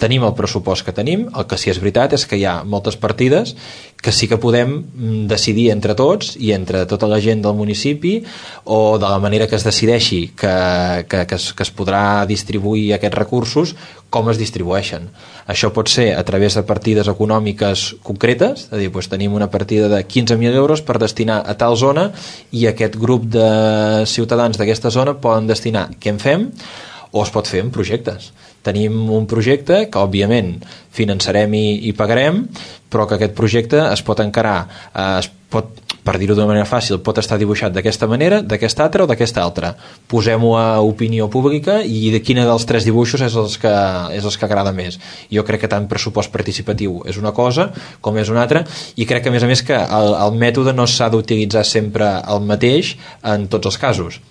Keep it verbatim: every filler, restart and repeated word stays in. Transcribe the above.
tenim el pressupost que tenim. El que sí és veritat és que hi ha moltes partides que sí que podem decidir entre tots i entre tota la gent del municipi, o de la manera que es decideixi que, que, que, es, que es podrà distribuir aquests recursos, com es distribueixen. Això pot ser a través de partides econòmiques concretes, és a dir, doncs tenim una partida de quinze mil euros per destinar a tal zona i aquest grup de ciutadans d'aquesta zona poden destinar què en fem, o es pot fer en projectes. Tenim un projecte que òbviament finançarem i, i pagarem, però que aquest projecte es pot encarar, eh, es pot, per dir-ho d'una manera fàcil, pot estar dibuixat d'aquesta manera, d'aquesta altra o d'aquesta altra. Posem-ho a opinió pública i de quina dels tres dibuixos és els que, és els que agrada més. Jo crec que tant pressupost participatiu és una cosa com és una altra, i crec que a més a més que el, el mètode no s'ha d'utilitzar sempre el mateix en tots els casos.